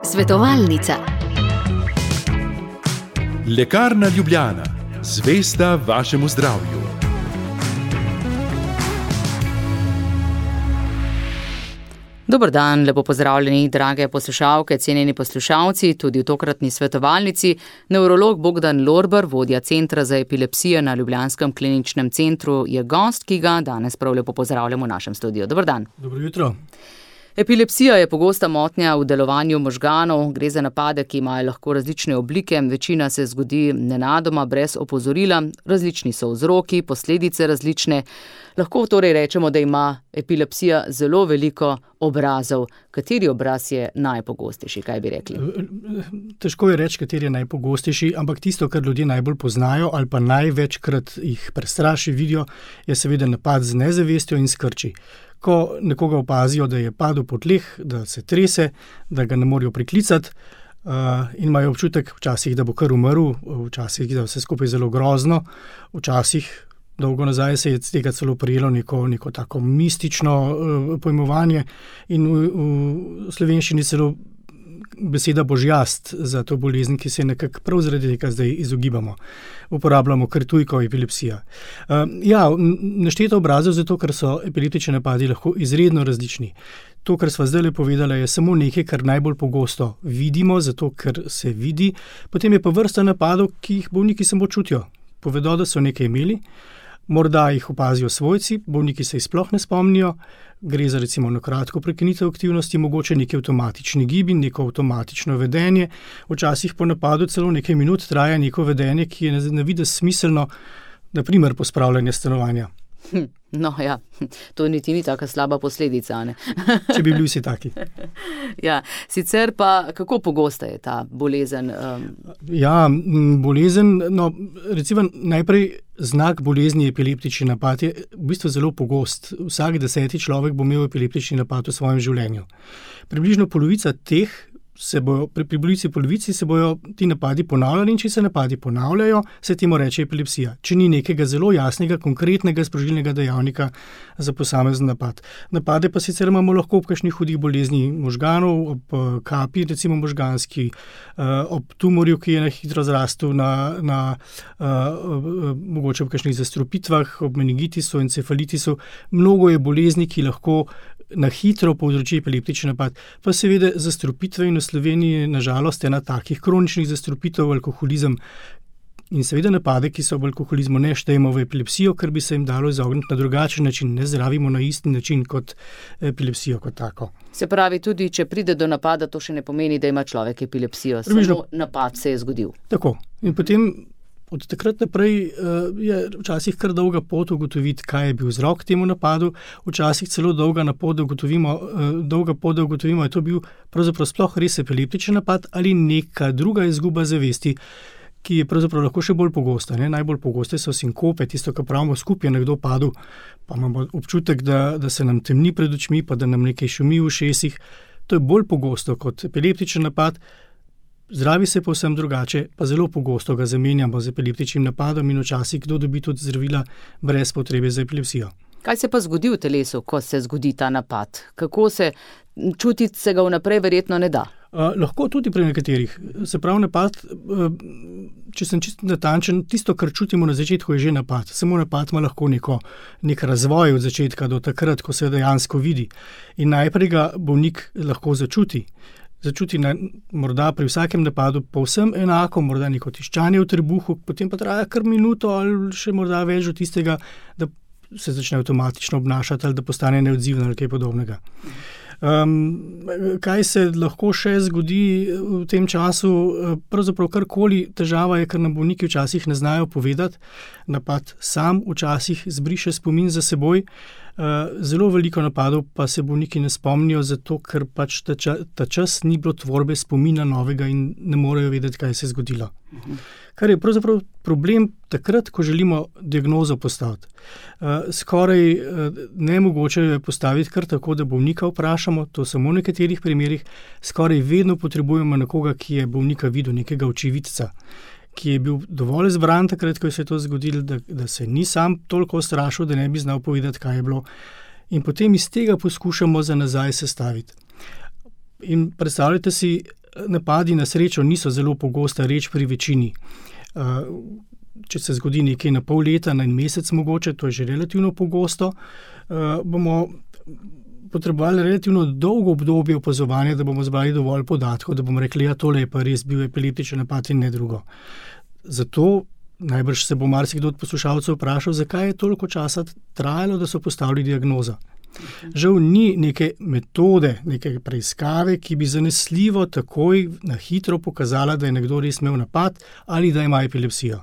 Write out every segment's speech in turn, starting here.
Svetovalnica. Lekarna Ljubljana, zvesta vašemu zdravju. Dober dan, lepo pozdravljeni, drage poslušalke, cenjeni poslušalci, tudi v tokratni svetovalnici. Nevrolog Bogdan Lorber, vodja Centra za epilepsijo na Ljubljanskem kliničnem centru, je gost, ki ga danes prav lepo pozdravljamo v našem studiu. Dober dan. Dobro jutro. Epilepsija je pogosta motnja v delovanju možganov, gre za napade, ki imajo lahko različne oblike, večina se zgodi nenadoma, brez opozorila, različni so vzroki, posledice različne. Lahko torej rečemo, da ima epilepsija zelo veliko obrazov. Kateri obraz je najpogostejši, kaj bi rekli? Težko je reči, kateri je najpogostejši, ampak tisto, kar ljudje najbolj poznajo ali pa največkrat jih prestraši, vidijo, je seveda napad z nezavestjo in skrči. Ko nekoga opazijo, da je padel po tleh, da se trese, da ga ne morejo priklicati in imajo občutek včasih, da bo kar umrl, včasih, da vse skupaj zelo grozno, včasih dolgo nazaj se je tega celo prijelo neko tako mistično pojmovanje in v slovenščini celo beseda božjast za to bolezen, ki se nekako prav zaradi tega zdaj izogibamo. Uporabljamo kar tujko epilepsija. Nešteto obrazov zato, ker so epileptični napadi lahko izredno različni. To, kar sva zdaj povedala, je samo nekaj, kar najbolj pogosto vidimo, zato ker se vidi. Potem je pa vrsta napadov, ki jih bolniki samo čutijo. Povedo, da so nekaj imeli, morda jih opazijo svojci, bolniki se jih sploh ne spomnijo, gre za recimo na kratko prekinitev aktivnosti, mogoče neki avtomatični gibi, neko avtomatično vedenje, včasih po napadu celo nekaj minut traja neko vedenje, ki je na videz smiselno, na primer pospravljanje stanovanja. No ja, to niti ni taka slaba posledica, ne? Če bi bili vsi taki. Ja, sicer pa kako pogosta je ta bolezen? Bolezen, recimo najprej znak bolezni epileptični napad je v bistvu zelo pogost. Vsak 10. človek bo imel epileptični napad v svojem življenju. Približno polovica teh pri polovici se bojo ti napadi ponavljali in če se napadi ponavljajo, se temu reče epilepsija. Če ni nekega zelo jasnega, konkretnega sprožilnega dejavnika za posamezen napad. Napade pa sicer imamo lahko ob kakšnih hudih bolezni možganov, ob kapi, recimo možganski, ob tumorju, ki je na hitro zrastel, mogoče ob kakšnih zastrupitvah, ob meningitisu, encefalitisu. Mnogo je bolezni, ki lahko na hitro povzroči epileptični napad. Pa seveda zastrupitve in v Sloveniji nažalost ena takih kroničnih zastrupitev, alkoholizem in seveda napade, ki so v alkoholizmu, ne štejemo v epilepsijo, ker bi se jim dalo izogniti na drugačen način, ne zdravimo na isti način kot epilepsijo kot tako. Se pravi, tudi če pride do napada, to še ne pomeni, da ima človek epilepsijo, samo napad se je zgodil. Tako. In potem od takrat naprej je včasih kar dolga pot ugotoviti, kaj je bil vzrok temu napadu, včasih celo dolga pot, da ugotovimo, je to bil pravzaprav sploh res epileptični napad ali neka druga izguba zavesti, ki je pravzaprav lahko še bolj pogosta. Najbolj pogoste so sinkope, tisto, kar pravimo skupaj, je nekdo padel, pa imamo občutek, da se nam temni pred očmi, pa da nam nekaj šumi v ušesih. To je bolj pogosto kot epileptični napad. Zdravi se povsem drugače, pa zelo pogosto ga zamenjamo z epileptičnim napadom in včasih kdo dobi tudi zdravila brez potrebe za epilepsijo. Kaj se pa zgodi v telesu, ko se zgodi ta napad? Kako se čutiti se ga vnaprej verjetno ne da? Lahko tudi pri nekaterih. Se pravi napad, če sem čisto natančen, tisto, kar čutimo na začetku, je že napad. Samo napad ima lahko nek razvoj od začetka do takrat, ko se dejansko vidi. In najprej ga bolnik lahko začuti morda pri vsakem napadu povsem enako, morda neko tiščanje v trebuhu, potem pa traja kar minuto ali še morda več od tistega, da se začne avtomatično obnašati ali da postane neodziven ali kaj podobnega. Kaj se lahko še zgodi v tem času? Pravzaprav karkoli. Težava je, ker nam bolniki včasih ne znajo povedati. Napad sam včasih zbriše spomin za seboj. Zelo veliko napadov pa se bolniki ne spomnijo, zato ker pač ta čas ni bilo tvorbe spomina novega in ne morejo vedeti, kaj se je zgodilo. Kar je pravzaprav problem takrat, ko želimo diagnozo postaviti. Skoraj nemogoče je postaviti kar tako, da bolnika vprašamo, to samo v nekaterih primerih, skoraj vedno potrebujemo nekoga, ki je bolnika videl, nekega očividca, ki je bil dovolj zbran takrat, ko se je to zgodilo, da se ni sam toliko ustrašil, da ne bi znal povedati, kaj je bilo. In potem iz tega poskušamo za nazaj sestaviti. In predstavljajte si, napadi na srečo niso zelo pogosta reč pri večini. Če se zgodi nekaj na pol leta, na en mesec mogoče, to je že relativno pogosto, bomo potrebovali relativno dolgo obdobje opazovanja, da bomo zbrali dovolj podatkov, da bomo rekli, ja, tole je pa res bil epileptičen napad in ne drugo. Zato najbrž se bo marsikdo od poslušalcev vprašal, zakaj je toliko časa trajalo, da so postavili diagnozo. Žal ni neke metode, neke preiskave, ki bi zanesljivo takoj na hitro pokazala, da je nekdo res imel napad ali da ima epilepsijo.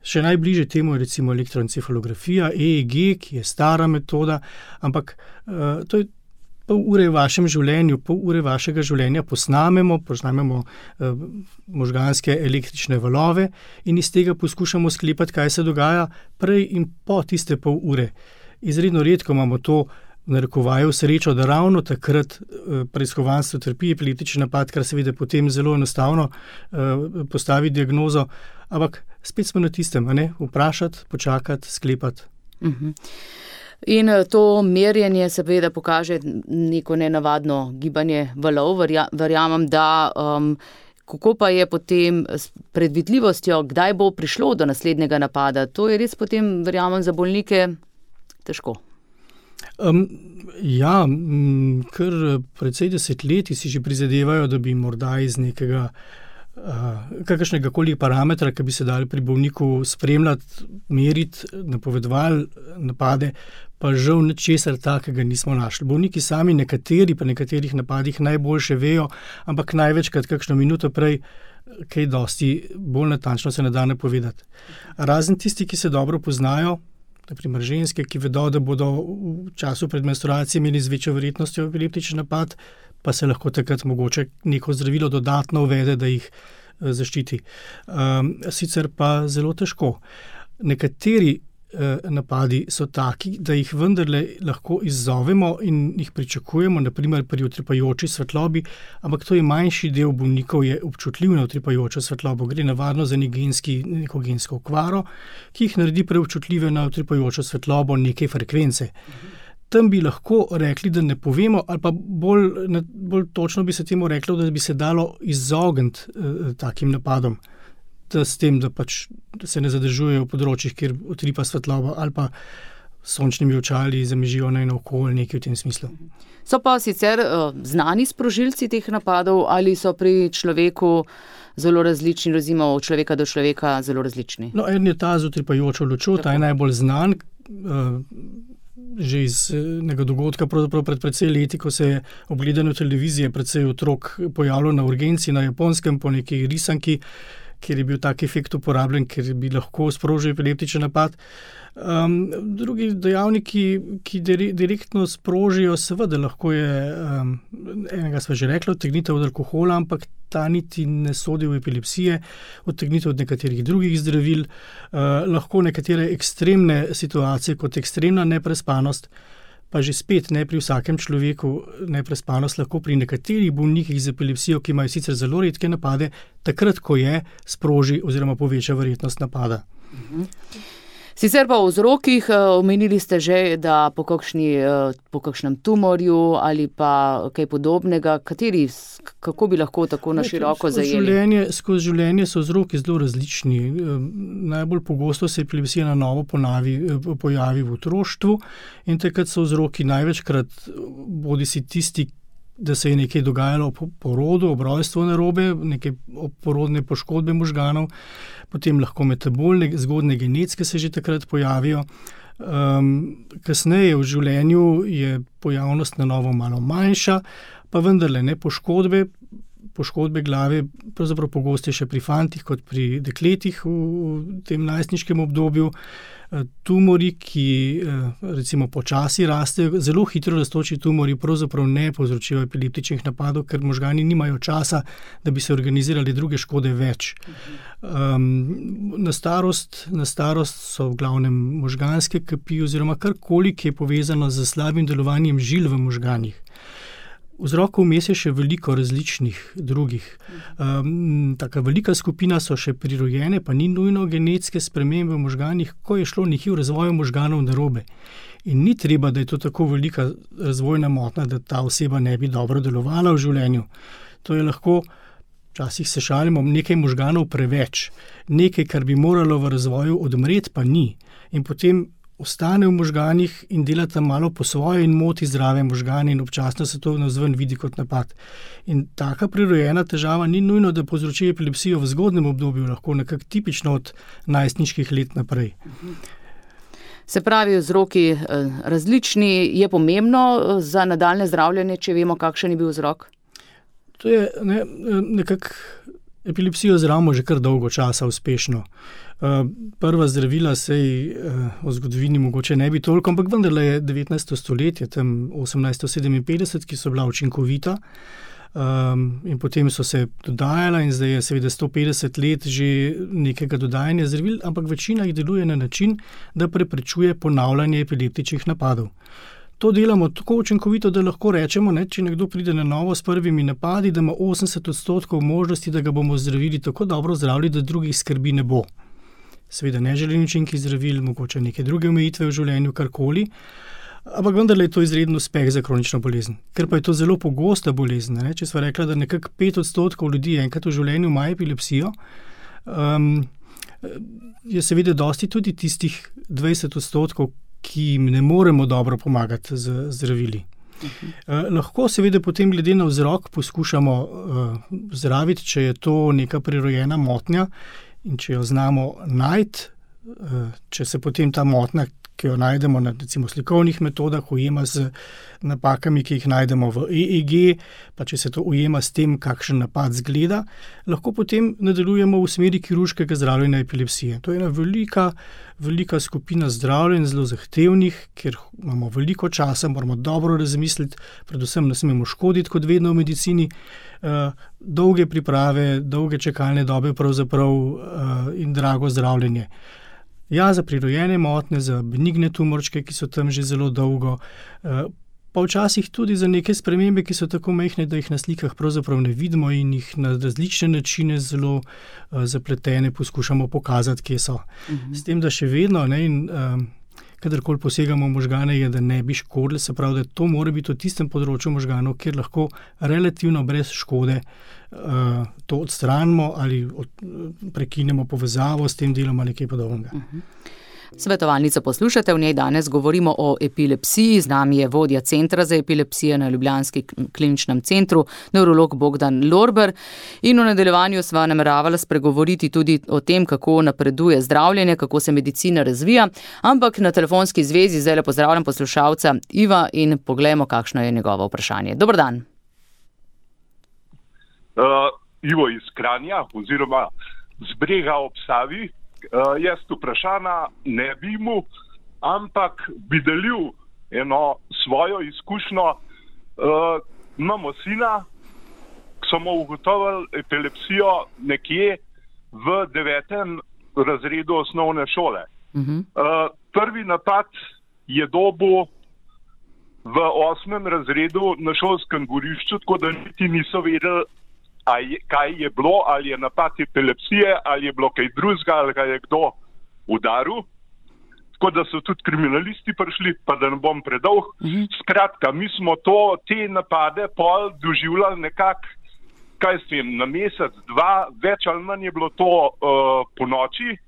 Še najbližje temu je recimo elektroencefalografija, EEG, ki je stara metoda, ampak to je pol ure v vašem življenju, pol ure vašega življenja posnamemo možganske električne valove in iz tega poskušamo sklepati, kaj se dogaja prej in po tiste pol ure. Izredno redko imamo to v narekovaju srečo, da ravno takrat preiskovanstvo trpi epileptični napad, kar seveda potem zelo enostavno postavi diagnozo, ampak spet smo na tistem, vprašati, počakati, sklepati. In to merjenje seveda pokaže neko nenavadno gibanje valov, verjamem, da kako pa je potem s predvidljivostjo, kdaj bo prišlo do naslednjega napada, to je res potem, verjamem, za bolnike težko. Kar precej desetletij si že prizadevajo, da bi morda iz nekega kakršnega koli parametra, ki bi se dali pri bolniku spremljati, meriti, napovedovali napade, pa žal ničesar takega nismo našli. Bolniki sami nekateri pa nekaterih napadih najboljše vejo, ampak največkrat kakšno minuto prej kaj dosti bolj natančno se ne da napovedati. Razen tisti, ki se dobro poznajo, na primer ženske, ki vedo, da bodo v času pred menstruacijo imeli z večjo verjetnostjo epileptični napad, pa se lahko takrat mogoče neko zdravilo dodatno uvede, da jih zaščiti. Sicer pa zelo težko. Nekateri napadi so taki, da jih vendarle lahko izzovemo in jih pričakujemo, na primer pri utripajoči svetlobi, ampak to je manjši del bolnikov je občutljiv na utripajočo svetlobo. Gre navadno za neko gensko okvaro, ki jih naredi preobčutljive na utripajočo svetlobo neke frekvence. Tam bi lahko rekli, da ne povemo, ali pa bolj točno bi se temu reklo, da bi se dalo izogniti takim napadom. S tem, da se ne zadržujejo v področjih, kjer utripa svetloba ali pa sončnimi očali zamežijo naokoli, nekaj v tem smislu. So pa sicer znani sprožilci teh napadov ali so pri človeku zelo različni, recimo od človeka do človeka zelo različni? En je ta z utripajočo lučjo, ta je najbolj znan. Že iz nekega dogodka pred precej leti, ko se je ob gledanju televizije precej otrok pojavilo na urgenci na Japonskem po neki risanki, kjer je bil tak efekt uporabljen, ker bi lahko sprožil epileptičen napad. Drugi dejavniki, ki direktno sprožijo, seveda lahko je, enega sva že rekla, odtegnitev od alkohola, ampak ta niti ne sodi v epilepsije, odtegnitev od nekaterih drugih zdravil, lahko nekatere ekstremne situacije kot ekstremna neprespanost, pa že spet ne pri vsakem človeku neprespanost, lahko pri nekaterih bolnikih z epilepsijo, ki imajo sicer zelo redke napade, takrat, ko je sproži oziroma poveča verjetnost napada. Sicer pa o vzrokih, omenili ste že, da po kakšnem tumorju ali pa kaj podobnega, kako bi lahko tako na široko zajeli? Skozi življenje so vzroki zelo različni. Najbolj pogosto se epilepsija na novo pojavi v otroštvu in takrat so vzroki največkrat bodisi tisti, da se je nekaj dogajalo po porodu, ob rojstvu narobe, neke porodne poškodbe možganov, potem lahko metabolne, zgodne genetske se že takrat pojavijo. Kasneje v življenju je pojavnost na novo malo manjša, pa vendarle ne poškodbe glave, pravzaprav pogostejše pri fantih kot pri dekletih v tem najstniškem obdobju. Tumori, ki recimo počasi rastejo, zelo hitro rastoči tumori pravzaprav ne povzročijo epileptičnih napadov, ker možgani nimajo časa, da bi se organizirali druge škode več. Na starost so v glavnem možganske kapi oziroma karkoli, ki je povezano z slabim delovanjem žil v možganih. Vzrokov vmes je še veliko različnih drugih. Taka velika skupina so še prirojene, pa ni nujno genetske spremembe v možganih, ko je šlo nekje v razvoju možganov narobe. In ni treba, da je to tako velika razvojna motnja, da ta oseba ne bi dobro delovala v življenju. To je lahko, včasih se šalimo, nekaj možganov preveč, nekaj, kar bi moralo v razvoju odmreti, pa ni. In potem ostane v možganih in dela tam malo po svoje in moti zdrave možgane in občasno se to navzven vidi kot napad. In taka prirojena težava ni nujno, da povzroči epilepsijo v zgodnjem obdobju, lahko nekako tipično od najstniških let naprej. Se pravi, vzroki različni, je pomembno za nadaljne zdravljenje, če vemo, kakšen je bil vzrok? To je nekako epilepsijo zdravimo že kar dolgo časa uspešno. Prva zdravila sej v zgodovini mogoče ne bi toliko, ampak vendarle je 19. stoletje, tam 1857, ki so bila učinkovita in potem so se dodajala in zdaj je seveda 150 let že nekega dodajanja zdravil, ampak večina jih deluje na način, da preprečuje ponavljanje epileptičnih napadov. To delamo tako učinkovito, da lahko rečemo, če nekdo pride na novo s prvimi napadi, da ima 80% možnosti, da ga bomo zdravili tako dobro zdravili, da drugih skrbi ne bo. Seveda neželeni učinki zdravil, mogoče neke druge omejitve v življenju, karkoli, ampak vendarle je to izreden uspeh za kronično bolezen. Ker pa je to zelo pogosta bolezen, če sva rekla, da nekako 5% ljudi enkrat v življenju ima epilepsijo, je seveda dosti tudi tistih 20%, ki jim ne moremo dobro pomagati z zdravili. Lahko seveda potem glede na vzrok poskušamo zdraviti, če je to neka prirojena motnja in če jo znamo najti, če se potem ta motnja, ki jo najdemo na recimo slikovnih metodah, ujema z napakami, ki jih najdemo v EEG, pa če se to ujema s tem, kakšen napad zgleda, lahko potem nadaljujemo v smeri kirurškega zdravljenja epilepsije. To je ena velika skupina zdravljenj, zelo zahtevnih, ker imamo veliko časa, moramo dobro razmisliti, predvsem ne smemo škoditi, kot vedno v medicini, dolge priprave, dolge čakalne dobe pravzaprav in drago zdravljenje. Ja, za prirojene motnje, za benigne tumorčke, ki so tam že zelo dolgo, pa včasih tudi za neke spremembe, ki so tako majhne, da jih na slikah pravzaprav ne vidimo in jih na različne načine zelo zapletene poskušamo pokazati, kje so. S tem, da še vedno, kadarkoli posegamo v možgane, je, da ne bi škodili, se pravi, da to mora biti v tistem področju možganov, kjer lahko relativno brez škode to odstranimo ali prekinemo povezavo s tem delom ali kaj podobnega. Svetovalnico poslušate, v njej danes govorimo o epilepsiji. Z nami je vodja Centra za epilepsijo na ljubljanskem kliničnem centru, nevrolog Bogdan Lorber. In v nadaljevanju sva nameravala spregovoriti tudi o tem, kako napreduje zdravljenje, kako se medicina razvija. Ampak na telefonski zvezi zdaj pozdravljam poslušalca Iva in poglejmo, kakšno je njegovo vprašanje. Dober dan. Ivo iz Kranja oziroma z Brega ob Savi. Jaz vprašanja ne bi mu, ampak bi delil eno svojo izkušnjo. Imamo sina, ki smo ugotovili epilepsijo nekje v 9. razredu osnovne šole. Prvi napad je dobil v 8. razredu na šolskem gorišču, tako da niti niso vedeli, kaj je bilo, ali je napad epilepsije, ali je bilo kaj drugega, ali ga je kdo udaril. Tako da so tudi kriminalisti prišli, pa da ne bom predolg. Skratka, mi smo te napade pol doživljali nekako, na mesec, dva, več ali manj je bilo to po noči.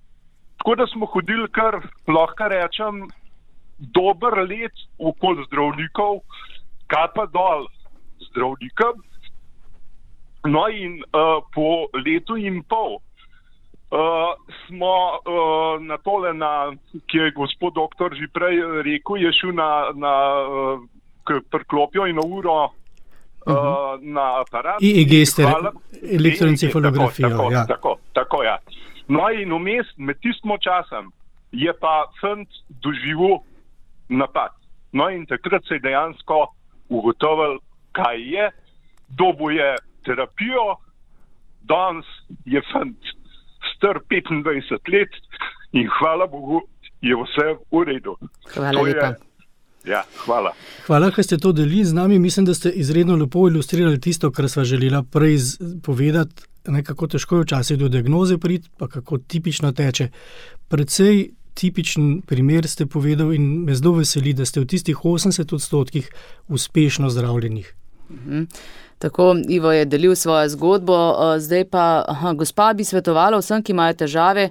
Tako da smo hodili kar, lahko rečem, dober let okoli zdravnikov, kaj pa dol zdravnikom. No in po letu in pol smo na tole, ki je gospod doktor že prej rekel, je šel k priklopijo in na uro na aparat. EEG ste elektroencefalografijo. Tako, ja. No in vmes med tistim časom je pa fant doživel napad. No in takrat se je dejansko ugotovil, kaj je, dobil je terapijo, danes je fant star 25 let in hvala Bogu je vse v redu. Hvala lepa. Ja, hvala. Hvala, ker ste to delili z nami. Mislim, da ste izredno lepo ilustrirali tisto, kar sva želela prej povedati, kako težko je včasih do diagnoze priti, pa kako tipično teče. Predvsej tipičen primer ste povedal in me zelo veseli, da ste v tistih 80% uspešno zdravljenih. Tako, Ivo je delil svojo zgodbo, zdaj pa gospa bi svetovala vsem, ki imajo težave,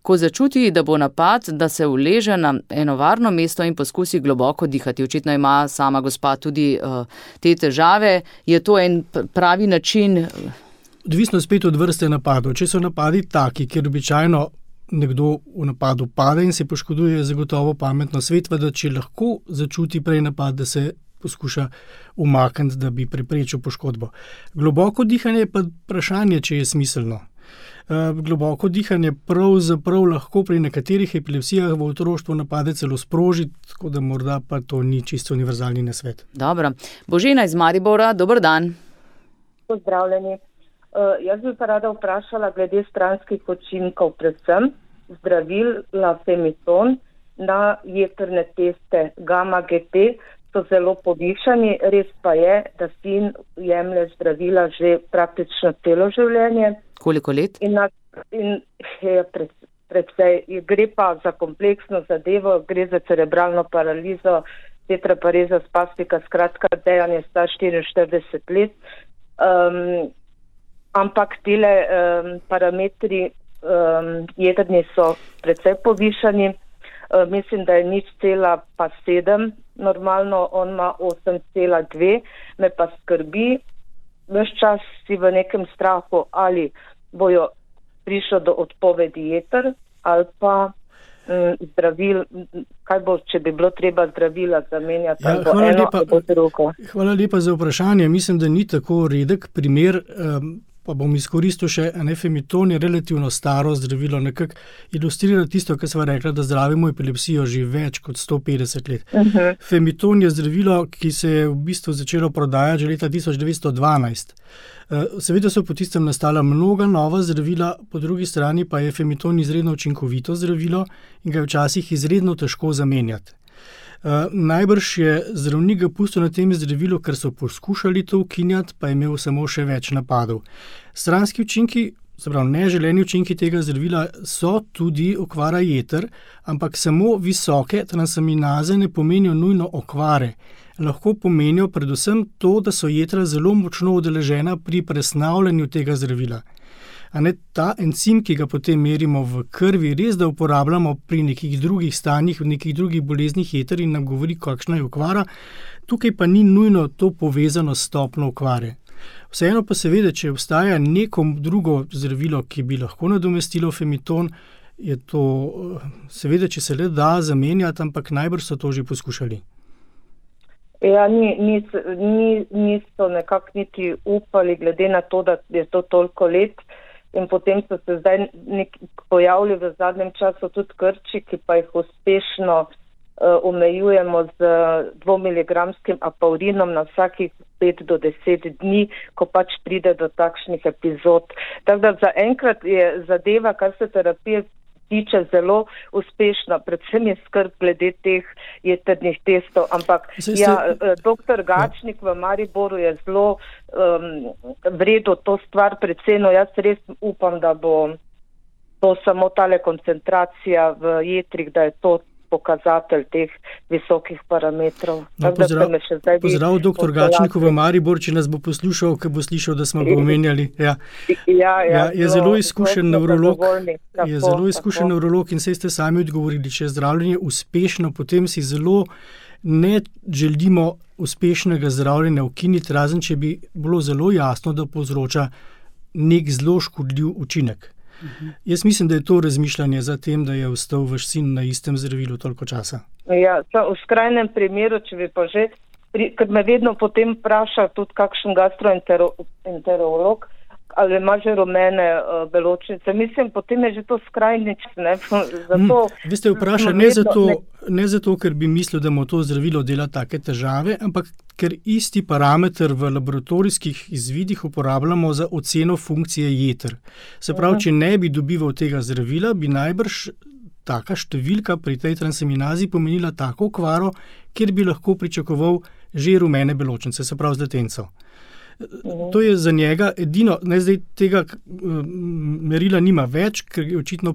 ko začuti, da bo napad, da se uleže na eno varno mesto in poskusi globoko dihati. Očitno ima sama gospa tudi te težave. Je to en pravi način? Odvisno spet od vrste napadov. Če so napadi taki, kjer običajno nekdo v napadu pade in se poškoduje, je zagotovo pametno svetva, da če lahko začuti prej napad, da se poskuša umakniti, da bi preprečil poškodbo. Globoko dihanje je pa vprašanje, če je smiselno. Globoko dihanje pravzaprav lahko pri nekaterih epilepsijah v otroštvu napade celo sproži, tako da morda pa to ni čisto univerzalni nasvet. Dobro. Božena iz Maribora, dober dan. Pozdravljeni. Jaz bi pa rada vprašala glede stranskih učinkov, predvsem zdravil Lafemiton na jetrne teste gamma-GT so zelo povišani. Res pa je, da sin jemlje zdravila že praktično celo življenje. Koliko let? Predvsej. Gre pa za kompleksno zadevo, gre za cerebralno paralizo, tetrapareza spastika, skratka, dejan je star 44 let. Ampak tile parametri jedrni so precej povišani. Mislim, da je 0,7 normalno, on ima 8,2. Me pa skrbi, ves čas si v nekem strahu, ali bojo prišlo do odpovedi jeter ali pa zdravil, kaj bo, če bi bilo treba zdravila zamenjati, ali bo eno ali bo drugo. Hvala lepa za vprašanje. Mislim, da ni tako redek primer, pa bom izkoristil še Femiton je relativno staro zdravilo, nekako ilustrira tisto, kar sva rekla, da zdravimo epilepsijo že več kot 150 let. Femiton je zdravilo, ki se je v bistvu začelo prodajati že leta 1912. Seveda so po tistem nastala mnoga nova zdravila, po drugi strani pa je Femiton izredno učinkovito zdravilo in ga je včasih izredno težko zamenjati. Najbrž je zdravnik ga pustil na tem zdravilu, ker so poskušali to ukinjati, pa je imel samo še več napadov. Stranski učinki, se pravi neželeni učinki tega zdravila so tudi okvara jeter, ampak samo visoke transaminaze ne pomenijo nujno okvare. Lahko pomenijo predvsem to, da so jetra zelo močno udeležena pri presnavljanju tega zdravila. Ta encim, ki ga potem merimo v krvi, res da uporabljamo pri nekih drugih stanjih, v nekih drugih boleznih jeter in nam govori, kakšna je okvara, tukaj pa ni nujno to povezano s stopnjo okvare. Vseeno pa seveda, če obstaja neko drugo zdravilo, ki bi lahko nadomestilo Femiton, je to seveda, če se le da zamenjati, ampak najbrž so to že poskušali. Ja, niso nekako niti upali, glede na to, da je to toliko let. In potem so se zdaj pojavili v zadnjem času tudi krči, ki pa jih uspešno omejujemo z 2-miligramskim apaurinom na vsakih 5 do 10 dni, ko pač pride do takšnih epizod. Tako da zaenkrat je zadeva, kar se terapije tiče, zelo uspešna, predvsem je skrb glede teh jetrnih testov, ampak doktor Gačnik v Mariboru je zelo vredo to stvar precenil. Jaz res upam, da bo to samo tale koncentracija v jetrih, da je to pokazatelj teh visokih parametrov. Pozdrav doktor Gačniku v Maribor, če nas bo poslušal, ko bo slišal, da smo ga omenjali. Je zelo izkušen nevrolog. Je zelo izkušen nevrolog in saj ste sami odgovorili, če je zdravljenje uspešno, potem si zelo ne želimo uspešnega zdravljenja ukiniti, razen če bi bilo zelo jasno, da povzroča nek zelo škodljiv učinek. Jaz mislim, da je to razmišljanje za tem, da je ostal vaš sin na istem zdravilu toliko časa. Ja, v skrajnem primeru, če bi pa že, ker me vedno potem vpraša tudi kakšen gastroenterolog, ali ima že rumene beločnice. Mislim, potem je že to skrajnič. Vi ste vprašali ne zato, ker bi mislil, da mu to zdravilo dela take težave, ampak ker isti parameter v laboratorijskih izvidih uporabljamo za oceno funkcije jeter. Se pravi, če ne bi dobival tega zdravila, bi najbrž taka številka pri tej transaminazi pomenila tako okvaro, kjer bi lahko pričakoval že rumene beločnice, se pravi zletencev. To je za njega edino, zdaj tega merila nima več, ker je očitno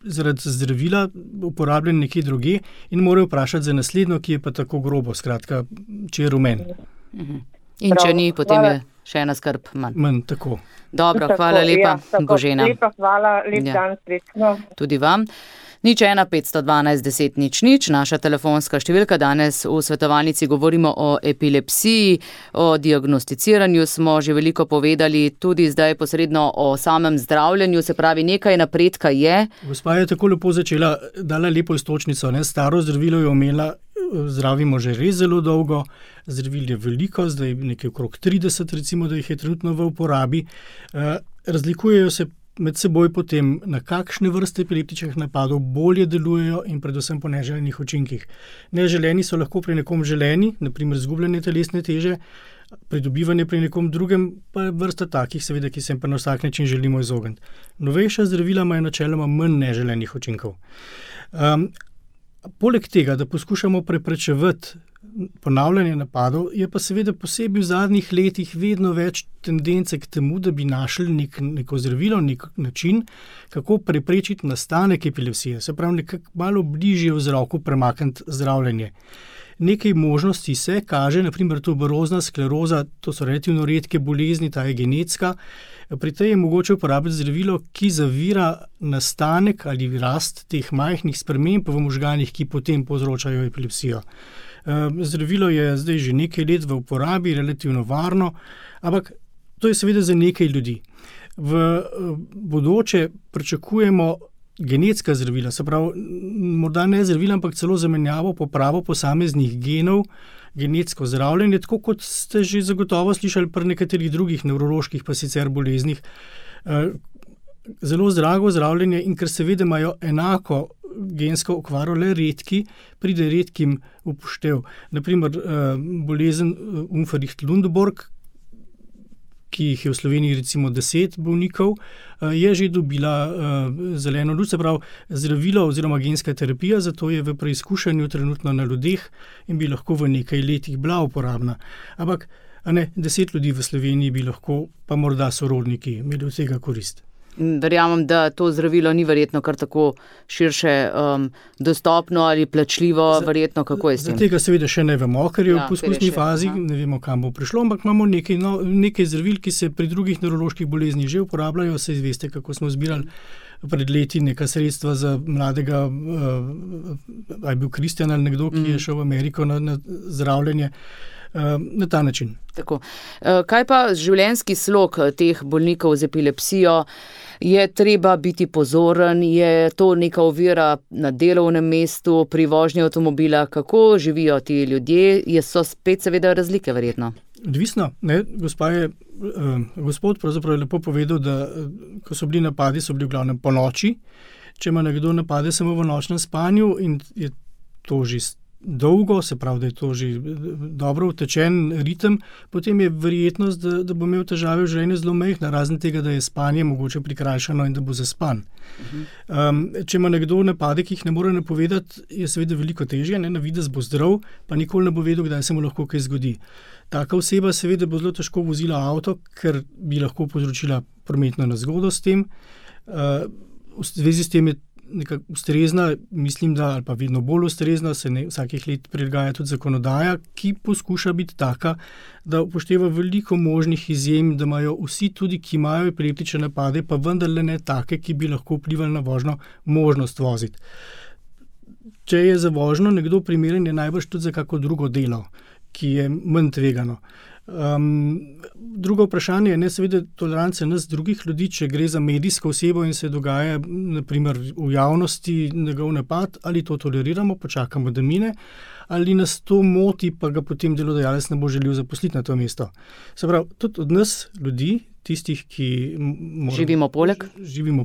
zaradi zdravila uporabljen nekje drugje in morajo vprašati za naslednjo, ki je pa tako grobo, skratka, če je rumen. In če ni, potem je še ena skrb manj. Manj, tako. Dobro, hvala lepa, Božena. Lepa hvala, lep dan, srečno. Tudi vam. 01 512 10 00, naša telefonska številka. Danes v svetovalnici govorimo o epilepsiji, o diagnosticiranju smo že veliko povedali, tudi zdaj posredno o samem zdravljenju, se pravi nekaj napredka je. Gospa je tako lepo začela, dala lepo istočnico, ne? Staro zdravilo je omela, zdravimo že res zelo dolgo, zdravil je veliko, zdaj nekaj okrog 30, recimo, da jih je trenutno v uporabi. Razlikujejo se med seboj potem, na kakšne vrste epileptičnih napadov bolje delujejo in predvsem po neželenih učinkih. Neželeni so lahko pri nekom želeni, naprimer izgubljanje telesne teže, pridobivanje pri nekom drugem, pa je vrsta takih, seveda, ki se pa na vsak način želimo izogniti. Novejša zdravila imajo načeloma manj neželenih učinkov. Poleg tega, da poskušamo preprečevati ponavljanje napadov, je pa seveda posebej v zadnjih letih vedno več tendence k temu, da bi našli neko zdravilo, nek način, kako preprečiti nastanek epilepsije. Se pravi, nekako malo bližje vzroku premakniti zdravljenje. Nekaj možnosti se kaže, naprimer tuberozna skleroza, to so relativno redke bolezni, ta je genetska. Pri tej je mogoče uporabiti zdravilo, ki zavira nastanek ali rast teh majhnih sprememb v možganih, ki potem povzročajo epilepsijo. Zdravilo je zdaj že nekaj let v uporabi, relativno varno, ampak to je seveda za nekaj ljudi. V bodoče pričakujemo genetska zdravila, se pravi, morda ne zdravila, ampak celo zamenjavo, popravo posameznih genov, genetsko zdravljenje, tako kot ste že zagotovo slišali pri nekaterih drugih nevroloških pa sicer boleznih. Zelo drago zdravljenje in ker seveda imajo enako gensko okvaro, le redki, pride redkim upoštev. Naprimer, bolezen Unverricht-Lundborg, ki jih je v Sloveniji recimo 10 bolnikov, je že dobila zeleno luč, se pravi zdravilo oziroma genska terapija, zato je v preizkušanju trenutno na ljudeh in bi lahko v nekaj letih bila uporabna. Ampak 10 ljudi v Sloveniji bi lahko, pa morda sorodniki, imeli od tega korist. Verjamem, da to zdravilo ni verjetno kar tako širše dostopno ali plačljivo, verjetno, kako je s tem? Za tega seveda še ne vemo, ker je v poskusni fazi, ne vemo, kam bo prišlo, ampak imamo nekaj zdravil, ki se pri drugih nevroloških boleznih že uporabljajo, saj veste, kako smo zbirali pred leti neka sredstva za mladega, a je bil Kristjan ali nekdo, ki je šel v Ameriko na zdravljenje. Na ta način. Tako. Kaj pa življenjski slog teh bolnikov z epilepsijo? Je treba biti pozoren? Je to neka ovira na delovnem mestu, pri vožnji avtomobila? Kako živijo ti ljudje? So spet seveda razlike verjetno? Odvisno. Gospod pravzaprav je lepo povedal, da ko so bili napadi, so bili v glavnem po noči. Če ima nekdo napade samo v nočnem spanju in je to že dolgo, se pravi, da je to že dobro utečen ritem, potem je verjetnost, da bo imel težave v življenju zelo majhna, razen tega, da je spanje mogoče prikrajšano in da bo zaspan. Če ima nekdo napade, ki jih ne more napovedati, je seveda veliko težje, na videz bo zdrav, pa nikoli ne bo vedel, kdaj se mu lahko kaj zgodi. Taka oseba seveda bo zelo težko vozila avto, ker bi lahko povzročila prometno nezgodo s tem. V zvezi s tem je nekako ustrezna, mislim, da ali pa vedno bolj ustrezna, se vsakih let prilagaja tudi zakonodaja, ki poskuša biti taka, da upošteva veliko možnih izjem, da imajo vsi tudi, ki imajo epileptične napade, pa vendarle ne take, ki bi lahko vplivali na vožnjo, možnost voziti. Če je za vožnjo nekdo primeren, je najbrž tudi za kako drugo delo, ki je manj tvegano. Drugo vprašanje je seveda tolerance nas drugih ljudi, če gre za medijsko osebo in se dogaja naprimer v javnosti njegov napad, ali to toleriramo, počakamo, da mine, ali nas to moti, pa ga potem delodajalec ne bo želel zaposliti na to mesto. Se pravi, tudi od nas ljudi, tistih, ki živimo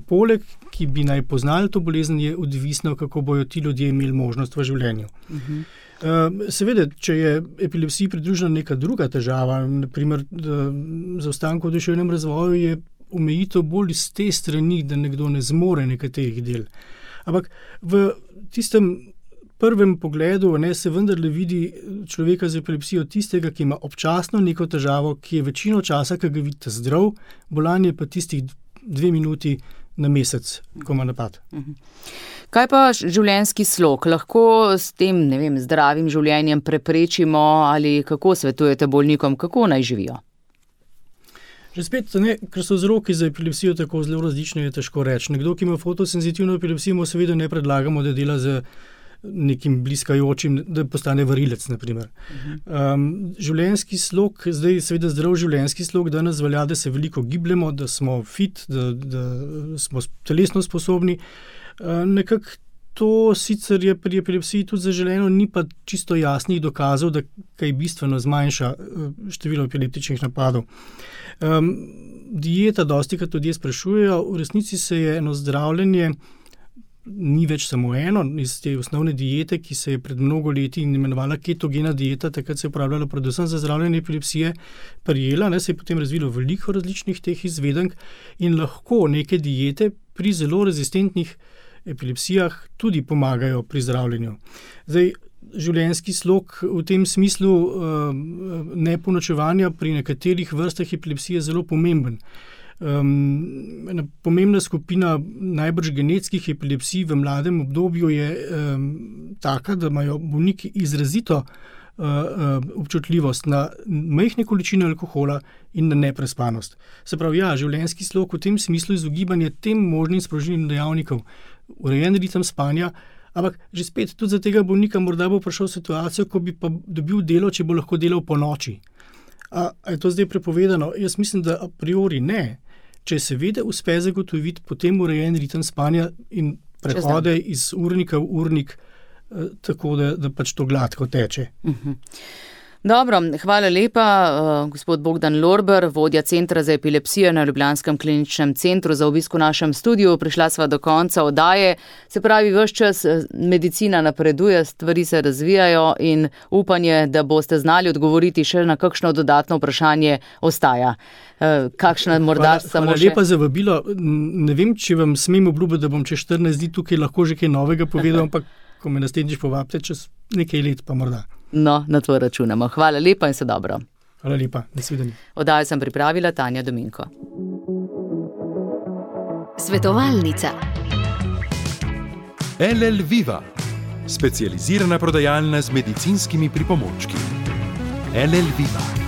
poleg, ki bi naj poznali to bolezen, je odvisno, kako bojo ti ljudje imeli možnost v življenju. Seveda, če je epilepsiji pridružena neka druga težava, naprimer zaostanek v duševnem razvoju, je omejitev bolj iz te strani, da nekdo ne zmore nekaterih del. Ampak v tistem prvem pogledu se vendarle vidi človeka z epilepsijo tistega, ki ima občasno neko težavo, ki je večino časa, ki ga vidite zdrav, bolan je pa tistih 2 minuti na mesec, ko ima napad. Kaj pa življenjski slog? Lahko s tem, zdravim življenjem preprečimo ali kako svetujete bolnikom, kako naj živijo? Že spet, ker so vzroki za epilepsijo tako zelo različni, je težko reči. Nekdo, ki ima fotosenzitivno epilepsijo, mu seveda ne predlagamo, da dela z nekim bliskajočim, da postane varilec, naprimer. Življenjski slog, zdaj seveda zdrav življenjski slog, danes velja, da se veliko gibljemo, da smo fit, da smo telesno sposobni. Nekako to sicer je pri epilepsiji tudi zaželeno, ni pa čisto jasnih dokazov, da kaj bistveno zmanjša število epileptičnih napadov. Dieta, dostikrat ljudje sprašujejo, v resnici se je eno zdravljenje, ni več samo eno, iz te osnovne diete, ki se je pred mnogo leti imenovala ketogena dieta, takrat se je uporabljala predvsem za zdravljenje epilepsije, prijela, se je potem razvilo veliko različnih teh izvedenk in lahko neke diete pri zelo rezistentnih epilepsijah tudi pomagajo pri zdravljenju. Zdaj, življenjski slog v tem smislu neponočevanja pri nekaterih vrstah epilepsije je zelo pomemben. Ena pomembna skupina najbrž genetskih epilepsij v mladem obdobju je taka, da imajo bolniki izrazito občutljivost na majhne količine alkohola in na neprespanost. Se pravi, življenjski slog v tem smislu izogibanje tem možnim sprožilnim dejavnikom, urejen ritem spanja, ampak že spet tudi za tega bolnika morda bo prišel v situacijo, ko bi pa dobil delo, če bo lahko delal po noči. A je to zdaj prepovedano? Jaz mislim, da a priori ne. Če seveda uspe zagotoviti potem urejen ritem spanja in prehode iz urnika v urnik, tako da pač to gladko teče. Dobro, hvala lepa, gospod Bogdan Lorber, vodja Centra za epilepsijo na Ljubljanskem kliničnem centru, za obisk v našem studiu. Prišla sva do konca oddaje. Se pravi, ves čas medicina napreduje, stvari se razvijajo in upanje, da boste znali odgovoriti še na kakšno dodatno vprašanje, ostaja. Kakšna morda samo še... Hvala lepa za vabilo. Ne vem, če vam smem obljubiti, da bom čez 14 dni tukaj lahko že kaj novega povedal, ampak ko me naslednjič povabite, čez nekaj let pa morda. No, na to računamo. Hvala lepa in se dobro. Hvala lepa, nasvidenje. Oddajo sem pripravila Tanja Dominko. Svetovalnica. LL Viva, specializirana prodajalna z medicinskimi pripomočki. LL Viva.